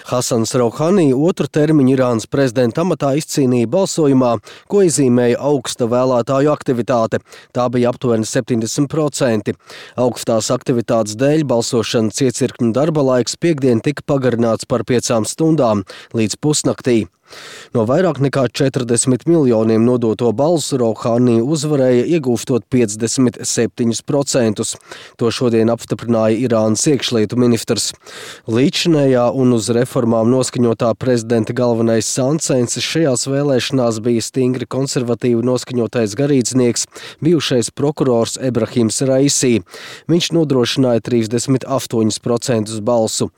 Hasans Rouhani otru termiņu Irānas prezidenta amatā izcīnīja balsojumā, ko iezīmēja augsta vēlētāju aktivitāte. Tā bija aptuveni 70%. Augstās aktivitātes dēļ balsošanas iecirkņu darba laiks piektdien tika pagarināts par 5 stundām līdz pusnaktī. No vairāk nekā 40 miljoniem nodoto balsu Rouhani uzvarēja, iegūstot 57%. To šodien apstiprināja Irānas iekšlietu ministrs. Līdzinējā un uz reformām noskaņotā prezidenta galvenais sāncensis šajās vēlēšanās bija stingri konservatīvi noskaņotais garīdznieks, bijušais prokurors Ebrahims Raisi. Viņš nodrošināja 38% balsu.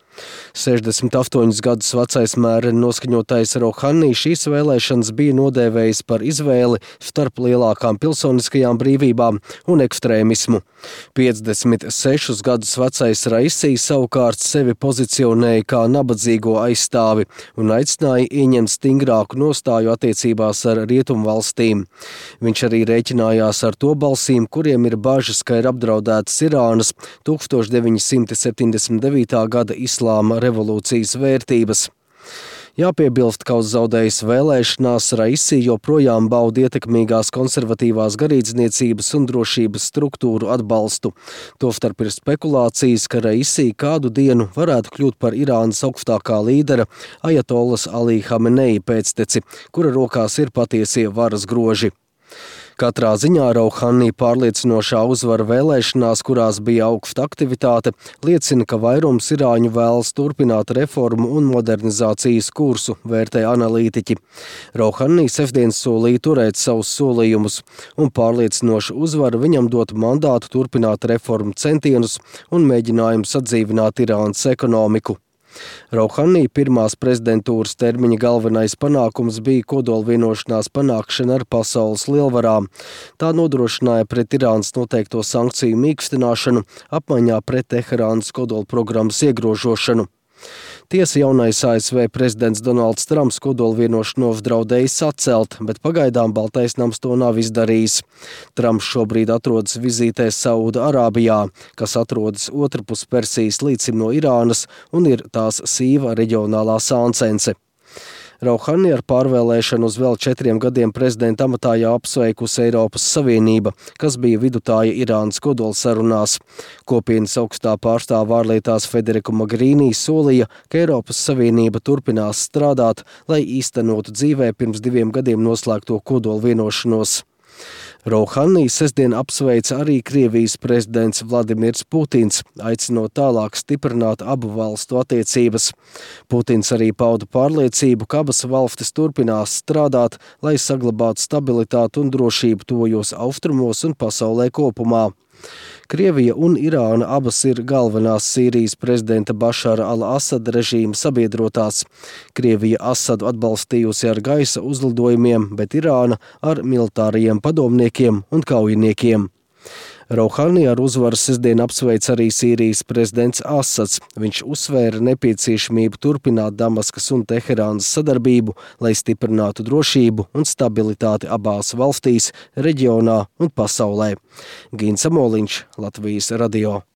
68 gadus vecais mēreni noskaņotais Rouhani šīs vēlēšanas bija nodēvējis par izvēli starp lielākām pilsoniskajām brīvībām un ekstrēmismu. 56 gadus vecais Raisi savukārt sevi pozicionēja kā nabadzīgo aizstāvi un aicināja ieņemt stingrāku nostāju attiecībās ar rietumvalstīm. Viņš arī rēķinājās ar to balsīm, kuriem ir bažas, ka ir apdraudētas Irānas 1979. gada islāma revolūcijas vērtības. Jāpiebilst, ka uz zaudējas vēlēšanās Raisi joprojām bauda ietekmīgās konservatīvās garīdzniecības un drošības struktūru atbalstu. Tostarp ir spekulācijas, ka Raisi kādu dienu varētu kļūt par Irānas augstākā līdera Ajatolas Ali Hamenei pēcteci, kura rokās ir patiesie varas groži. Katrā ziņā Rouhani pārliecinošā uzvara vēlēšanās, kurās bija augsta aktivitāte, liecina, ka vairums irāņu vēlas turpināt reformu un modernizācijas kursu, vērtē analītiķi. Rouhani sestdien solīja turēt savus solījumus, un pārliecinoša uzvara viņam dot mandātu turpināt reformu centienus un mēģinājumus atdzīvināt Irānas ekonomiku. Rouhani pirmās prezidentūras termiņa galvenais panākums bija kodolvienošanās panākšana ar pasaules lielvarām. Tā nodrošināja pret Irānas noteikto sankciju mīkstināšanu apmaiņā pret Teherānas kodolprogrammas iegrožošanu. Tiesa jaunais ASV prezidents Donalds Trumps kodolvienošanos draudējis atcelt, bet pagaidām Baltais nams to nav izdarījis. Trumps šobrīd atrodas vizītē Sauda Arābijā, kas atrodas otrpus Persijas līcim no Irānas un ir tās sīva reģionālā sāncence. Rouhani ar pārvēlēšanu uz vēl 4 gadiem prezidenta amatā apsveikusi Eiropas Savienība, kas bija vidutāja Irānas kodolsarunās. Kopienas augstā pārstāve ārlietās Federica Mogherini solīja, ka Eiropas Savienība turpinās strādāt, lai īstenotu dzīvē pirms 2 gadiem noslēgto kodolvienošanos. Rouhani sestdien apsveica arī Krievijas prezidents Vladimirs Putins, aicinot tālāk stiprināt abu valstu attiecības. Putins arī pauda pārliecību, ka abas valstis turpinās strādāt, lai saglabātu stabilitāti un drošību tuvajos austrumos un pasaulē kopumā. Krievija un Irāna abas ir galvenās Sīrijas prezidenta Bašara al-Asada režīma sabiedrotās. Krievija Asadu atbalstījusi ar gaisa uzlidojumiem, bet Irāna ar militārajiem padomniekiem un kaujiniekiem. Rouhani ar uzvaru sestdien apsveica arī Sīrijas prezidents Asads. Viņš uzsvēra nepieciešamību turpināt Damaskas un Teherānas sadarbību, lai stiprinātu drošību un stabilitāti abās valstīs, reģionā un pasaulē. Gins Amoliņš, Latvijas radio.